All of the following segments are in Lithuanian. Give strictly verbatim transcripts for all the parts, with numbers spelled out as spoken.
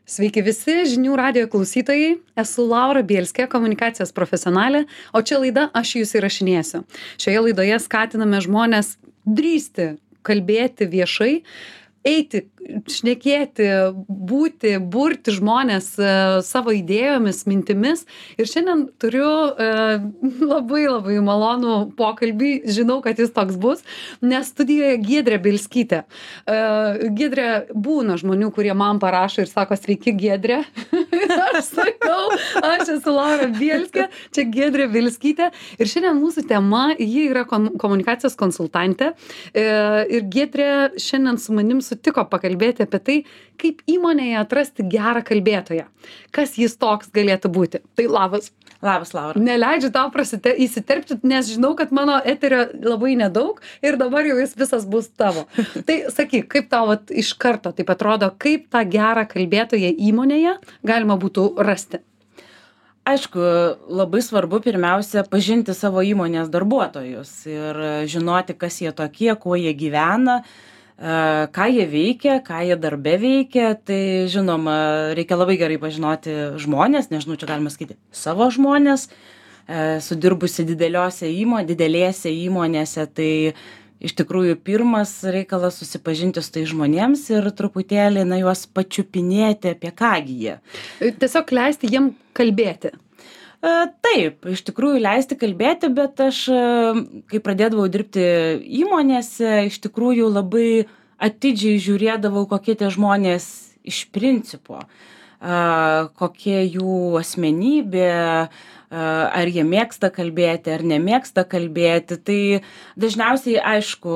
Sveiki visi žinių radijo klausytojai, esu Laura Bielskė, komunikacijos profesionalė, o čia laida Aš jūs įrašinėsiu. Šioje laidoje skatiname žmonės drįsti kalbėti viešai, eiti, šnekėti, būti, burti žmonės e, savo idėjomis, mintimis. Ir šiandien turiu e, labai labai malonų pokalbį, žinau, kad jis toks bus, nes studijoje Giedrė Bielskytė. E, Giedrė, būna žmonių, kurie man parašo ir sako, sveiki Giedrė. Aš sakau, aš esu Laura Bielskė, čia Giedrė Bielskytė. Ir šiandien mūsų tema, ji yra kom- komunikacijos konsultantė. E, ir Giedrė šiandien su manim sutiko pakalbėti apie tai, kaip įmonėje atrasti gerą kalbėtoją. Kas jis toks galėtų būti. Tai labas. Labas, Laura. Neleidžiu tau prasite, įsiterpti, nes žinau, kad mano eterio labai nedaug ir dabar jau jis visas bus tavo. Tai sakyk, kaip tau vat, iš karto taip atrodo, kaip tą gerą kalbėtoją įmonėje galima būtų rasti? Aišku, labai svarbu pirmiausia pažinti savo įmonės darbuotojus ir žinoti, kas jie tokie, kuo jie gyvena, ką jie veikia, ką jie darbe veikia. Tai žinoma, reikia labai gerai pažinoti žmonės, nežinau, čia galima sakyti, savo žmonės, sudirbusi dideliose įmo, didelėse įmonėse. Tai iš tikrųjų pirmas reikalas susipažinti su tai žmonėms ir truputėlį na, juos pačiupinėti, apie kągi jie. Tiesiog leisti jiem kalbėti. Taip, iš tikrųjų leisti kalbėti, bet aš, kai pradėdavau dirbti įmonėse, iš tikrųjų labai atidžiai žiūrėdavau, kokie tie žmonės iš principo, kokie jų asmenybė, ar jie mėgsta kalbėti, ar nemėgsta kalbėti. Tai dažniausiai, aišku,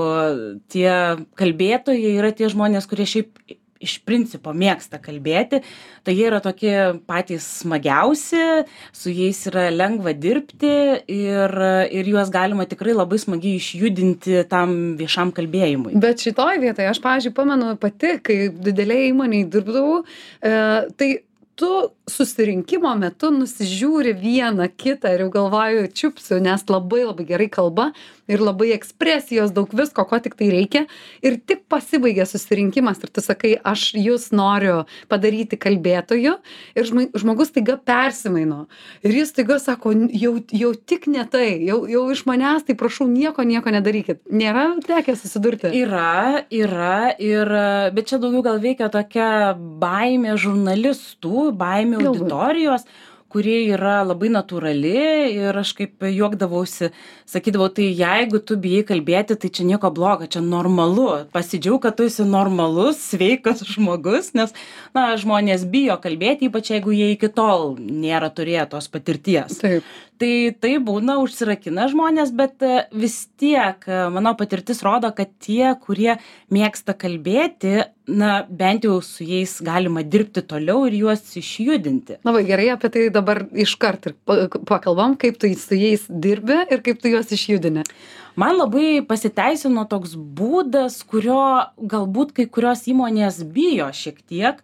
tie kalbėtojai yra tie žmonės, kurie šiaip iš principo mėgsta kalbėti, tai jie yra tokie patys smagiausi, su jais yra lengva dirbti ir, ir juos galima tikrai labai smagiai išjudinti tam viešam kalbėjimui. Bet šitoj vietoje, aš, pavyzdžiui, pamenu pati, kai didelėje įmonėje dirbdavau, e, tai tu susirinkimo metu nusižiūri vieną kitą ir jau galvoju, čiupsiu, nes labai labai gerai kalba ir labai ekspresijos, daug visko, ko tik tai reikia. Ir tik pasibaigia susirinkimas ir tu sakai, aš jūs noriu padaryti kalbėtoju ir žmogus taiga persimaino. Ir jis taiga sako, jau, jau tik ne tai, jau, jau iš manęs, tai prašau, nieko, nieko nedarykit. Nėra tekę susidurti? Yra, yra, ir, bet čia daugiau gal veikia tokia baimė žurnalistų, baimė auditorijos, kurie yra labai natūrali ir aš kaip juokdavausi, sakydavau, tai jeigu tu bijai kalbėti, tai čia nieko blogo, čia normalu. Pasidžiaug, kad tu esi normalus, sveikas žmogus, nes na, žmonės bijo kalbėti, ypač jeigu jie iki tol nėra turėję tos patirties. Taip. Tai tai būna, užsirakina žmonės, bet vis tiek mano patirtis rodo, kad tie, kurie mėgsta kalbėti, na, bent jau su jais galima dirbti toliau ir juos išjudinti. Labai gerai, apie tai dabar iškart ir pakalbam, kaip tu su jais dirbi ir kaip tu juos išjudini. Man labai pasiteisino toks būdas, kurio galbūt kai kurios įmonės bijo šiek tiek.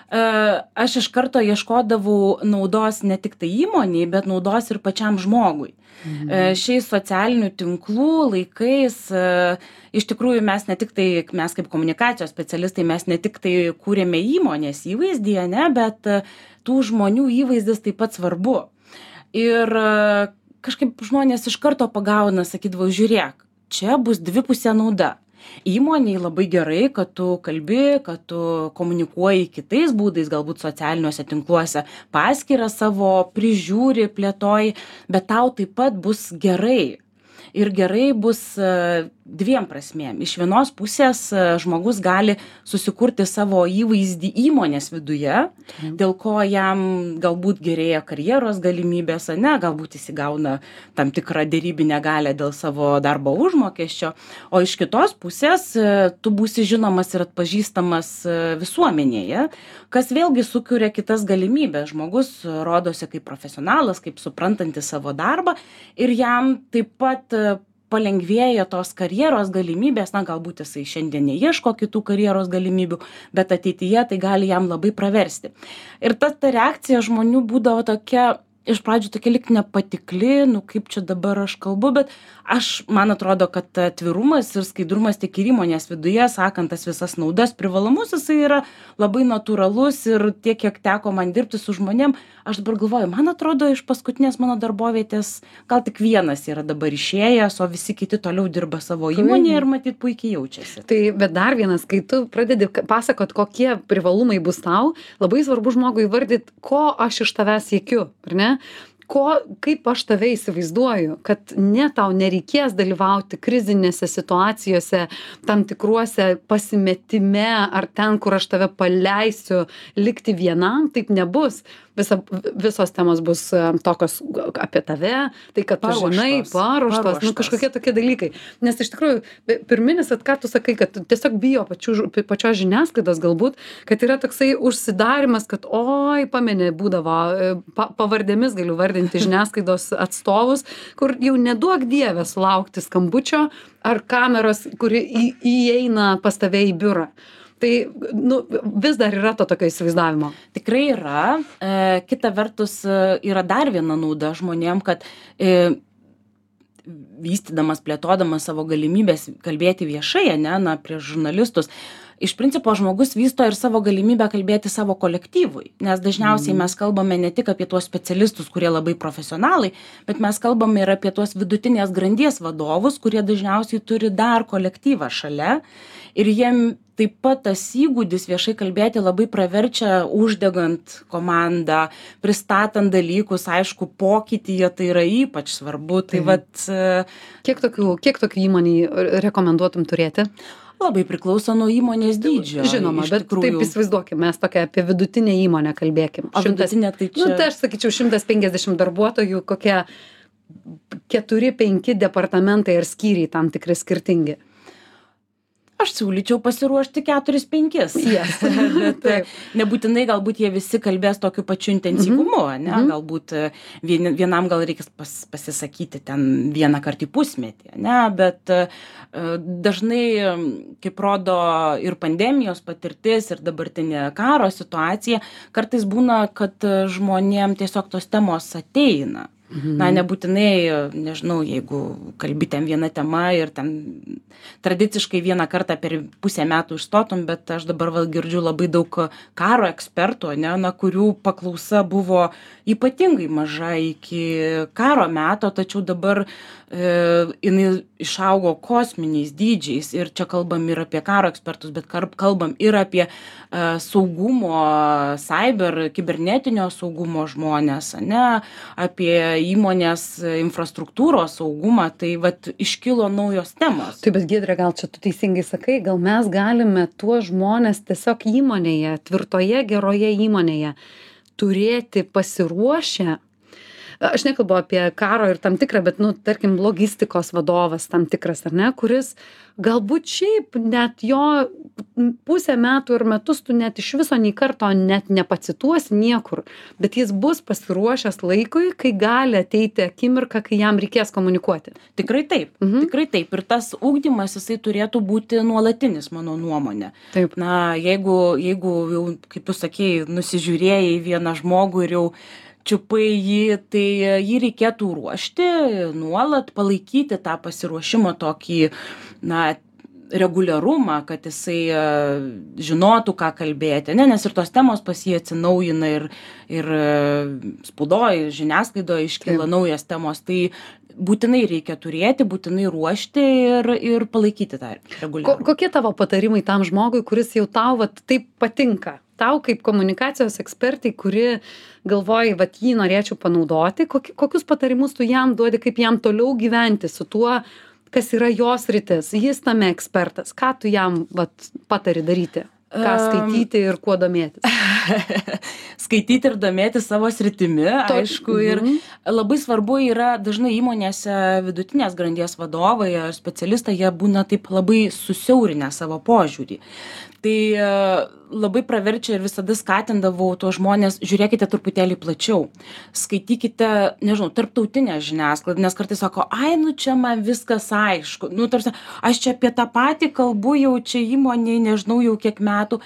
Aš iš karto ieškodavau naudos ne tik tai įmoniai, bet naudos ir pačiam žmogui. Mhm. Šiais socialinių tinklų laikais iš tikrųjų mes ne tik tai, mes kaip komunikacijos specialistai, mes ne tik tai kūrėme įmonės įvaizdį, ne, bet tų žmonių įvaizdis taip pat svarbu. Ir kažkaip žmonės iš karto pagauna, sakydavau, žiūrėk, čia bus dvipusė nauda. Įmoniai labai gerai, kad tu kalbi, kad tu komunikuoji kitais būdais, galbūt socialiniuose tinkluose, paskyrą savo prižiūri, plėtoji, bet tau taip pat bus gerai. Ir gerai bus dviem prasmėm. Iš vienos pusės žmogus gali susikurti savo įvaizdį įmonės viduje, mhm. dėl ko jam galbūt gerėja karjeros galimybės, ne, galbūt jis įgauna tam tikrą dėrybinę galią dėl savo darbo užmokesčio, o iš kitos pusės tu būsi žinomas ir atpažįstamas visuomenėje, kas vėlgi sukuria kitas galimybės. Žmogus rodosi kaip profesionalas, kaip suprantantis savo darbą ir jam taip pat palengvėja tos karjeros galimybės, na galbūt jisai šiandien neieško kitų karjeros galimybių, bet ateityje tai gali jam labai praversti. Ir ta, ta reakcija žmonių būdavo tokia iš pradžių tokia lyg nepatikli, nu kaip čia dabar aš kalbu, bet aš, man atrodo, kad atvirumas ir skaidrumas tiek ir įmonės viduje, sakant tas visas naudas, privalumus, jisai yra labai natūralus ir tiek, kiek teko man dirbti su žmonėm, aš dabar galvoju, man atrodo, iš paskutinės mano darbovietės gal tik vienas yra dabar išėjęs, o visi kiti toliau dirba savo įmonėje ir matyt puikiai jaučiasi. Tai, bet dar vienas, kai tu pradedi pasakot, kokie privalumai bus tau, labai svarbu žmogui įvardyti, ko aš iš tavęs siekiu, ar ne? Ko, kaip aš tave įsivaizduoju, kad ne tau nereikės dalyvauti krizinėse situacijose, tam tikruose pasimetime ar ten, kur aš tave paleisiu likti vienam, taip nebus. Visa, visos temos bus tokios apie tave, tai kad tu žinai, paruoštos, nu kažkokie tokie dalykai. Nes iš tikrųjų, pirminis, at ką tu sakai, kad tiesiog bijo pačių, pačios žiniasklaidos galbūt, kad yra toksai užsidarimas, kad oi, pamenė, būdavo, pa, pavardėmis galiu vardinti žiniasklaidos atstovus, kur jau neduok dievę sulaukti skambučio ar kameros, kuri į, įeina pas tave į biurą. Tai nu, vis dar yra to tokio įsivaizdavimo. Tikrai yra. E, kita vertus yra dar viena nauda žmonėm, kad e, vystydamas, plėtodamas savo galimybės kalbėti viešai, ne, na, prieš žurnalistus, iš principo žmogus vysto ir savo galimybę kalbėti savo kolektyvui, nes dažniausiai mes kalbame ne tik apie tuos specialistus, kurie labai profesionalai, bet mes kalbame ir apie tuos vidutinės grandies vadovus, kurie dažniausiai turi dar kolektyvą šalia ir jiem taip pat tas įgūdis viešai kalbėti labai praverčia uždegant komandą, pristatant dalykus, aišku, pokytyje tai yra ypač svarbu. Tai, tai vat, kiek tokių, kiek tokių įmonį rekomenduotum turėti? Labai priklauso nuo įmonės dydžio. Žinoma, bet tikrųjų... taip įsivaizduokim, mes tokia apie vidutinę įmonę kalbėkim. O vidutinė tai čia... Nu, tai aš sakyčiau, šimtas penkiasdešimt darbuotojų, kokie keturi penki departamentai ar skyriai tam tikri skirtingi. Aš siūlyčiau pasiruošti keturis penkis. Yes. Bet nebūtinai galbūt jie visi kalbės tokiu pačiu intensyvumu, mm-hmm. ne? Galbūt vien, vienam gal reikės pas, pasisakyti ten vieną kartą į pusmetį, ne? Bet dažnai, kaip rodo ir pandemijos patirtis, ir dabartinė karo situacija, kartais būna, kad žmonėm tiesiog tos temos ateina. Mhm. Na, nebūtinai, nežinau, jeigu kalbi ten viena tema ir ten tradiciškai vieną kartą per pusę metų išstotum, bet aš dabar val girdžiu labai daug karo ekspertų, ne, na, kurių paklausa buvo ypatingai maža iki karo meto, tačiau dabar e, jinai išaugo kosminiais dydžiais ir čia kalbam ir apie karo ekspertus, bet kalbam ir apie e, saugumo, cyber, kibernetinio saugumo žmonės, ne, apie įmonės infrastruktūros saugumą, tai vat iškilo naujos temos. Tai bet Giedre, gal čia tu teisingai sakai, gal mes galime tuos žmonės tiesiog įmonėje, tvirtoje, geroje įmonėje turėti pasiruošę. Aš nekalbu apie karo ir tam tikrą, bet, nu, tarkim, logistikos vadovas tam tikras, ar ne, kuris galbūt šiaip net jo pusę metų ir metus tu net iš viso nei karto net nepacituosi niekur, bet jis bus pasiruošęs laikui, kai gali ateiti akimirka, kai jam reikės komunikuoti. Tikrai taip, mhm. tikrai taip. Ir tas ugdymas, jisai turėtų būti nuolatinis, mano nuomonė. Taip. Na, jeigu, jeigu jau, kaip tu sakei, nusižiūrėjai vieną žmogų ir jau čiupai jį, tai jį reikėtų ruošti, nuolat palaikyti tą pasiruošimo tokį, na, reguliarumą, kad jisai žinotų, ką kalbėti, ne, nes ir tos temos pas jį atsinaujina ir, ir spaudoj, žiniasklaidoje iškyla Taip. Naujas temos, tai būtinai reikia turėti, būtinai ruošti ir, ir palaikyti tą reguliarumą. Ko, kokie tavo patarimai tam žmogui, kuris jau tau vat, taip patinka? Tau kaip komunikacijos ekspertai, kuri galvoji, vat jį norėčiau panaudoti, kokius patarimus tu jam duodi, kaip jam toliau gyventi su tuo, kas yra jos rytis, jis tame ekspertas, ką tu jam vat, patari daryti, ką skaityti ir kuo domėtis? Skaityti ir domėtis savo sritimi, to, aišku, ir mm. labai svarbu yra dažnai įmonėse vidutinės grandies vadovai ar specialistai, jie būna taip labai susiaurinę savo požiūrį. Tai labai praverčia ir visada skatindavau tuos žmonės, žiūrėkite truputėlį plačiau, skaitykite, nežinau, tarptautinę žiniasklaidą, nes kartais sako, ai, nu čia man viskas aišku, nu tarsi, aš čia apie tą patį kalbu jau čia įmonėje, nežinau, jau kiek metų.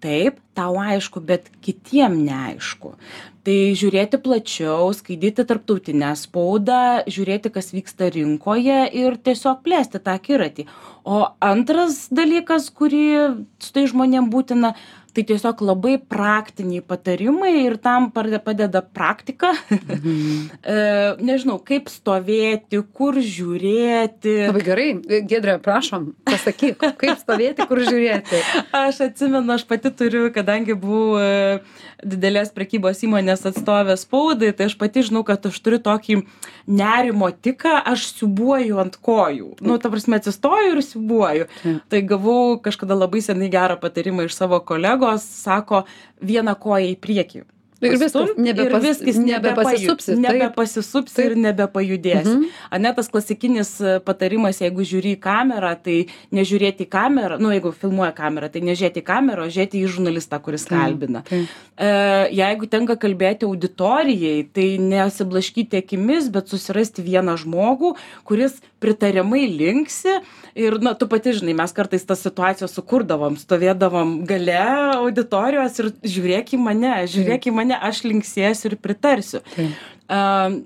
taip, tau aišku, bet kitiem neaišku. Tai žiūrėti plačiau, skaityti tarptautinę spaudą, žiūrėti, kas vyksta rinkoje ir tiesiog plėsti tą akiratį. O antras dalykas, kurį su tai žmonėm būtina, tai tiesiog labai praktiniai patarimai ir tam padeda praktika. Mhm. e, nežinau, kaip stovėti, kur žiūrėti. Labai gerai. Giedre, prašom, pasakyk, kaip stovėti, kur žiūrėti. Aš atsimenu, aš pati turiu, kadangi buvau e, didelės prekybos įmonės atstovė spaudai, tai aš pati žinau, kad aš turiu tokį nerimo tiką, aš siubuoju ant kojų. Nu, ta prasme, atsistoju ir siubuoju. Ja. Tai gavau kažkada labai senai gerą patarimą iš savo kolegų, sako, vieną koją į priekį. Ir viskas, nebepas, ir viskas nebepasisupsi. Nebepasisupsi ir nebepajudėsi. Mhm. Ane, tas klasikinis patarimas, jeigu žiūri į kamerą, tai nežiūrėti į kamerą, nu, jeigu filmuoja kamerą, tai nežiūrėti į kamerą, o žiūrėti į žurnalistą, kuris kalbina. Tai. E, jeigu tenka kalbėti auditorijai, tai nesiblaškyti akimis, bet susirasti vieną žmogų, kuris pritariamai linksi. Ir, na, tu pati žinai, mes kartais tas situacijas sukurdavom, stovėdavom gale auditorijos ir žiūrėk į mane, žiūrėk į mane, aš linksėsiu ir pritarsiu. Uh,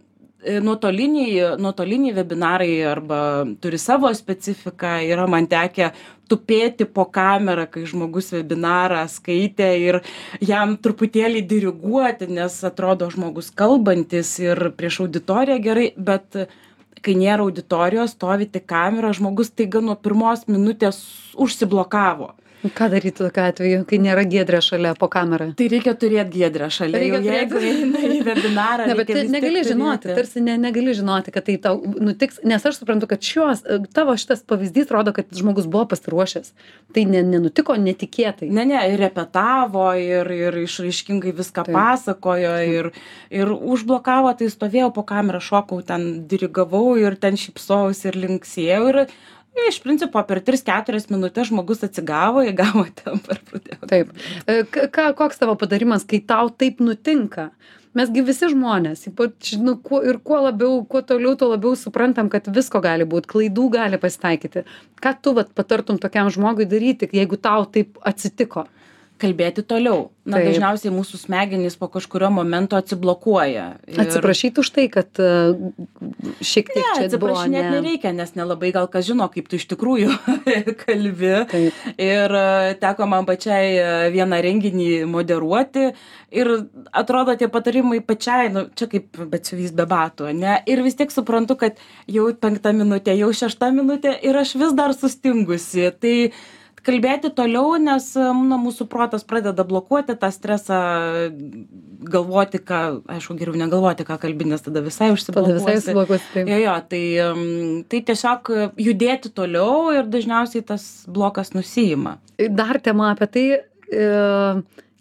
nuotoliniai, nuotoliniai webinarai arba turi savo specifiką, yra man tekę tupėti po kamerą, kai žmogus webinarą skaitė ir jam truputėlį diriguoti, nes atrodo žmogus kalbantis ir prieš auditoriją gerai, bet kai nėra auditorijos, stovi tik kamera, žmogus taiga nuo pirmos minutės užsiblokavo. Ką daryti tokiu atveju, kai nėra Giedrė šalia po kamerą? Tai reikia turėti Giedrę šalia. Reikia jau, jeigu eina į webinarą, ne, bet negali žinoti, turėti. Tarsi ne, negali žinoti, kad tai tau nutiks, nes aš suprantu, kad šios, tavo šitas pavyzdys rodo, kad žmogus buvo pasiruošęs. Tai ne, nenutiko netikėtai. Ne, ne, ir repetavo, ir, ir išraiškingai viską Taip. pasakojo, ir, ir užblokavo, tai stovėjau po kamerą, šokau, ten dirigavau ir ten šypsojausi ir linksėjau. Ir iš principo per tris keturias minutės žmogus atsigavo, įgavo tempą ir pradėjo. Taip. Ką, koks tavo patarimas, kai tau taip nutinka? Mesgi visi žmonės, ypač, nu, kuo, ir kuo labiau, kuo toliau, tuo labiau suprantam, kad visko gali būti, klaidų gali pasitaikyti. Ką tu vat, patartum tokiam žmogui daryti, jeigu tau taip atsitiko? Kalbėti toliau. Na, Taip. dažniausiai mūsų smegenys po kažkurio momento atsiblokuoja. Ir... Atsiprašyti už tai, kad uh, šiek tiek ne, čia atsiprašinėti buvo, ne... nereikia, nes nelabai gal kas žino, kaip tu iš tikrųjų kalbi. Taip. Ir uh, teko man pačiai uh, vieną renginį moderuoti ir atrodo tie patarimai pačiai, nu, čia kaip batsiuvys be batų, ne? Ir vis tiek suprantu, kad jau penkta minutė, jau šešta minutė ir aš vis dar sustingusi. Tai kalbėti toliau, nes na, mūsų protas pradeda blokuoti tą stresą, galvoti, ką, aišku, geriau negalvoti, ką kalbi, nes tada visai užsiblokuosi. Tada visai užsiblokuosi, taip. Jo, jo, tai, tai tiesiog judėti toliau ir dažniausiai tas blokas nusiima. Dar tema apie tai,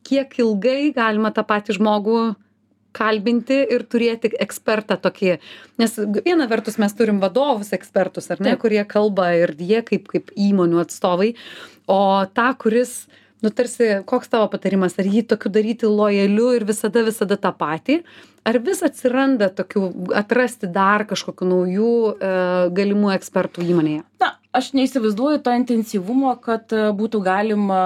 kiek ilgai galima tą patį žmogų kalbinti ir turėti ekspertą tokį. Nes viena vertus mes turim vadovus ekspertus, ar ne, Taip. kurie kalba ir jie kaip, kaip įmonių atstovai, o tą, kuris, nu tarsi, koks tavo patarimas, ar jį tokiu daryti lojaliu ir visada, visada tą patį, ar vis atsiranda tokių, atrasti dar kažkokių naujų e, galimų ekspertų įmonėje? Na, aš neįsivaizduoju to intensyvumo, kad būtų galima,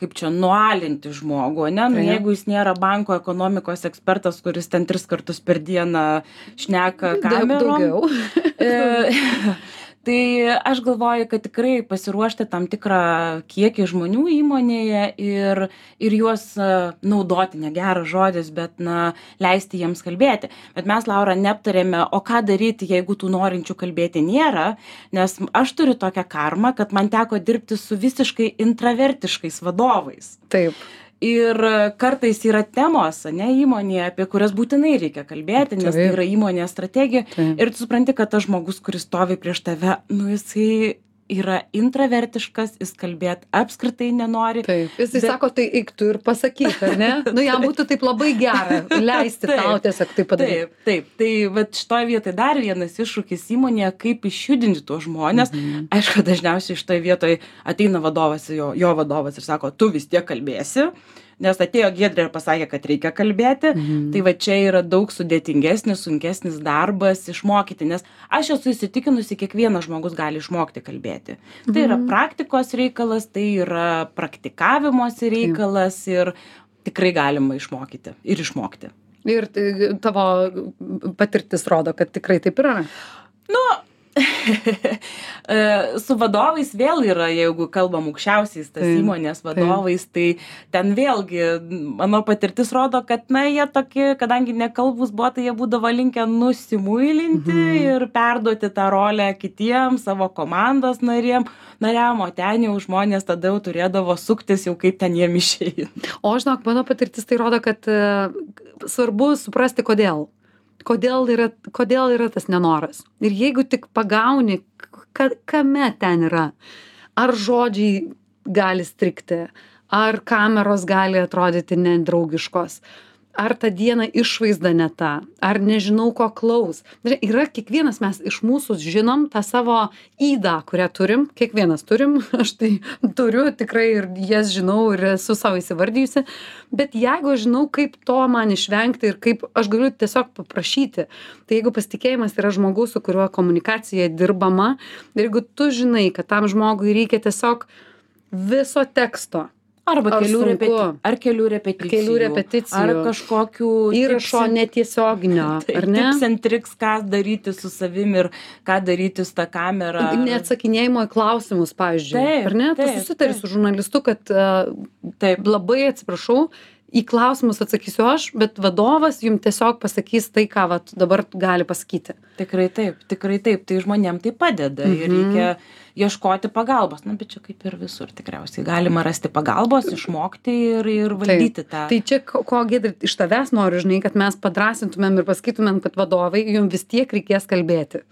kaip čia, nualinti žmogų, ne? Nu, jeigu jis nėra banko ekonomikos ekspertas, kuris ten tris kartus per dieną šneka kamerom. Daugiau. e, tai aš galvoju, kad tikrai pasiruošti tam tikrą kiekį žmonių įmonėje ir, ir juos naudoti, negeras žodis, bet na, leisti jiems kalbėti. Bet mes, Laura, neaptarėme, o ką daryti, jeigu tų norinčių kalbėti nėra, nes aš turiu tokią karmą, kad man teko dirbti su visiškai intravertiškais vadovais. Taip. Ir kartais yra temos, ne, įmonėje, apie kurias būtinai reikia kalbėti, nes tai yra įmonės strategija. Taip. Ir tu supranti, kad tas žmogus, kuris stovi prieš tave, nu jisai yra intravertiškas, jis kalbėti apskritai nenori. Taip. Jisai bet... sako, tai eik tu ir pasakyk, ar ne? Nu, jam būtų taip labai gera leisti taip, tau tiesiog tai padaryti. Taip, taip. Tai vat šitoje vietoje dar vienas iššūkis įmonėje, kaip išjudinti tuos žmonės. Mhm. Aišku, dažniausiai šitoje vietoje ateina vadovas, jo, jo vadovas ir sako, tu vis tiek kalbėsi. nes atėjo Giedrė ir pasakė, kad reikia kalbėti, mhm. tai va čia yra daug sudėtingesnis, sunkesnis darbas išmokyti, nes aš esu įsitikinusi, kiekvienas žmogus gali išmokti kalbėti. Mhm. Tai yra praktikos reikalas, tai yra praktikavimosi reikalas ir tikrai galima išmokyti ir išmokti. Ir tavo patirtis rodo, kad tikrai taip yra. Nu, su vadovais vėl yra, jeigu kalbam aukščiausiais tas taip, įmonės vadovais, taip. Tai ten vėlgi mano patirtis rodo, kad na, jie tokie, kadangi nekalbus buvo, tai jie būdavo linkę nusimuilinti mhm. ir perduoti tą rolę kitiem, savo komandos narėm, nariam, o ten jau žmonės tada jau turėdavo suktis jau kaip ten jiem išeina. O žinok, mano patirtis tai rodo, kad uh, svarbu suprasti, kodėl. Kodėl yra, kodėl yra tas nenoras. Ir jeigu tik pagauni, ka, kame ten yra, ar žodžiai gali strigti, ar kameros gali atrodyti nedraugiškos, ar ta diena išvaizda ne ta, ar nežinau ko klaus. Yra kiekvienas mes iš mūsų žinom tą savo ydą, kurią turim, kiekvienas turim, aš tai turiu tikrai ir jas žinau ir esu savo įsivardijusi, bet jeigu aš žinau, kaip to man išvengti ir kaip aš galiu tiesiog paprašyti, tai jeigu pasitikėjimas yra žmogus, su kuriuo komunikacija dirbama, ir jeigu tu žinai, kad tam žmogui reikia tiesiog viso teksto, Arba kelių, repeti ar kelių repeticijų, kelių repeticijų, ar kažkokių įrašo netiesioginio, ar ne? Tips and tricks, ką daryti su savim ir ką daryti su ta kamera. Neatsakinėjimo į klausimus, pavyzdžiui, taip, ar ne? Tu susitari su žurnalistu, kad uh, taip, labai atsiprašau, į klausimus atsakysiu aš, bet vadovas jums tiesiog pasakys tai, ką vat, dabar gali pasakyti. Tikrai taip, tikrai taip, tai žmonėm tai padeda mhm. ir reikia ieškoti pagalbos. Na, bet čia kaip ir visur tikriausiai. Galima rasti pagalbos, išmokti ir, ir valdyti taip. tą. Tai čia, ko Giedrė, iš tavęs noriu, žinai, kad mes padrasintumėm ir pasakytumėm, kad vadovai, jums vis tiek reikės kalbėti.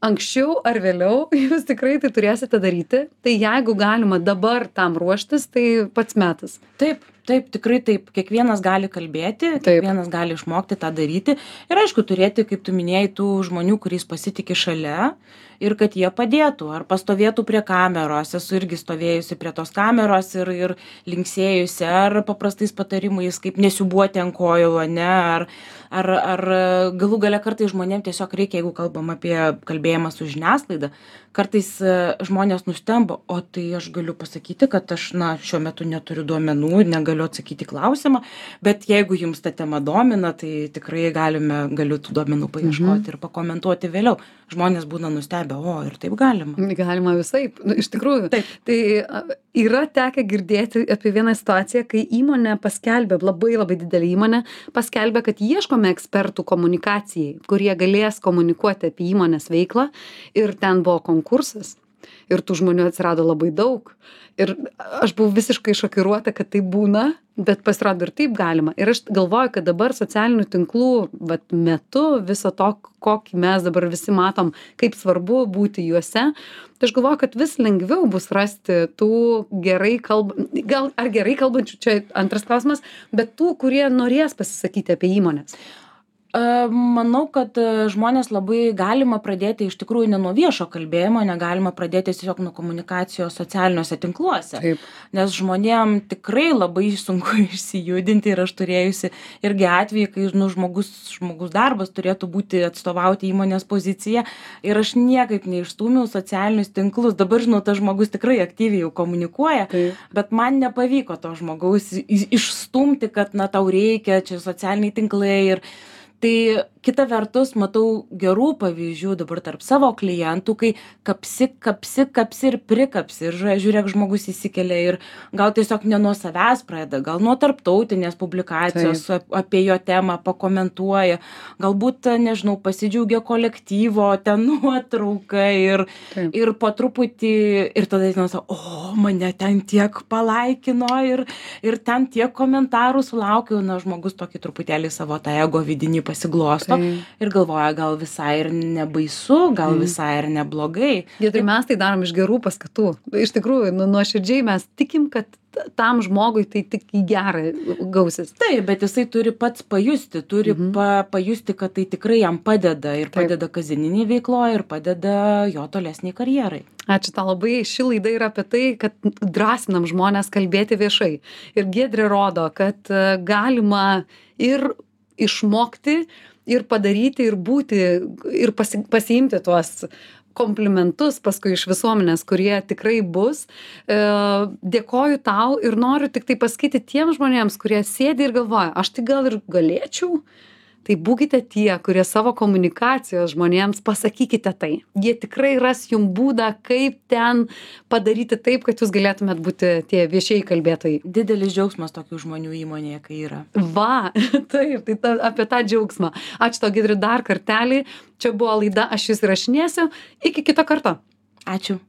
Anksčiau ar vėliau jūs tikrai tai turėsite daryti, tai jeigu galima dabar tam ruoštis, tai pats metas. Taip, taip, tikrai taip. Kiekvienas gali kalbėti, taip. Kiekvienas gali išmokti tą daryti. Ir aišku, turėti, kaip tu minėjai, tų žmonių, kuriais pasitikė šalia ir kad jie padėtų, ar pastovėtų prie kameros. Esu irgi stovėjusi prie tos kameros ir, ir linksėjusi, ar paprastais patarimais, kaip nesiubuoti ant kojų, ne, ar, ar, ar galų gale kartais žmonėm tiesiog reikia, jeigu kalbam apie kalbėjimą su žiniasklaida, kartais žmonės nustemba, o tai aš galiu pasakyti, kad aš, na, šiuo metu neturiu duomenų, negaliu atsakyti klausimą, bet jeigu jums ta tema domina, tai tikrai galime, galiu tų duomenų paieškoti mhm. ir pakomentuoti vėliau. Žmonės būna nustebę, o ir taip galima. Galima visaip, nu, iš tikrųjų. Taip. Tai yra tekę girdėti apie vieną situaciją, kai įmonė paskelbė, labai labai didelė įmonė, paskelbė, kad ieškome ekspertų komunikacijai, kurie galės komunikuoti apie įmonės veiklą, ir ten buvo konkursas. Ir tų žmonių atsirado labai daug. Ir aš buvau visiškai šokiruota, kad tai būna, bet pasirodo ir taip galima. Ir aš galvoju, kad dabar socialinių tinklų vat, metu viso to, kokį mes dabar visi matom, kaip svarbu būti juose, tai aš galvoju, kad vis lengviau bus rasti tų gerai kalbančių, gal ar gerai kalbančių, čia antras klausimas, bet tų, kurie norės pasisakyti apie įmonės. Manau, kad žmonės labai galima pradėti iš tikrųjų ne nuo viešo kalbėjimo, negalima pradėti tiesiog nuo komunikacijos socialiniuose tinkluose. Taip. Nes žmonėm tikrai labai sunku išsijudinti ir aš turėjusi irgi atvejį, kai nu, žmogus, žmogus darbas turėtų būti atstovauti įmonės poziciją ir aš niekaip neišstūmiau socialinius tinklus. Dabar, žinau, tas žmogus tikrai aktyviai jau komunikuoja, Taip. bet man nepavyko to žmogaus išstumti, kad na tau reikia, čia socialiniai tinklai ir tai kita vertus matau gerų pavyzdžių dabar tarp savo klientų, kai kapsi, kapsi, kapsi ir prikapsi. Ir žiūrėk, žmogus įsikelia ir gal tiesiog ne nuo savęs pradeda, gal nuo tarptautinės publikacijos Taip. apie jo temą pakomentuoja, galbūt, nežinau, pasidžiaugia kolektyvo ten nuotrauka ir, ir po truputį, ir tada jis sako, o, mane ten tiek palaikino ir, ir ten tiek komentarų sulaukiau, na, žmogus tokį truputėlį savo tą ego vidinį pasiglosto. klauso ir galvoja, gal visai ir nebaisu, gal visai ir neblogai. Ir mes tai darom iš gerų paskatų. Iš tikrųjų, nu, nuoširdžiai mes tikim, kad tam žmogui tai tik į gerą gausis. Taip, bet jisai turi pats pajusti, turi mhm. pa, pajusti, kad tai tikrai jam padeda ir Taip. padeda kasdieniniai veikloje ir padeda jo tolesniai karjerai. Ačiū tau labai. Ši laida yra apie tai, kad drąsinam žmonės kalbėti viešai. Ir Giedrė rodo, kad galima ir išmokti, ir padaryti, ir būti, ir pasi, pasiimti tuos komplimentus paskui iš visuomenės, kurie tikrai bus. E, dėkoju tau ir noriu tik tai pasakyti tiems žmonėms, kurie sėdi ir galvoja, aš tai gal ir galėčiau. Tai būkite tie, kurie savo komunikacijos žmonėms pasakykite tai. Jie tikrai ras jums būdą, kaip ten padaryti taip, kad jūs galėtumėt būti tie viešieji kalbėtojai. Didelis džiaugsmas tokių žmonių įmonėje, kai yra. Va, taip, tai ta, apie tą džiaugsmą. Ačiū tau, Giedri, dar kartelį. Čia buvo laida Aš jus įrašinėsiu. Iki kito karto. Ačiū.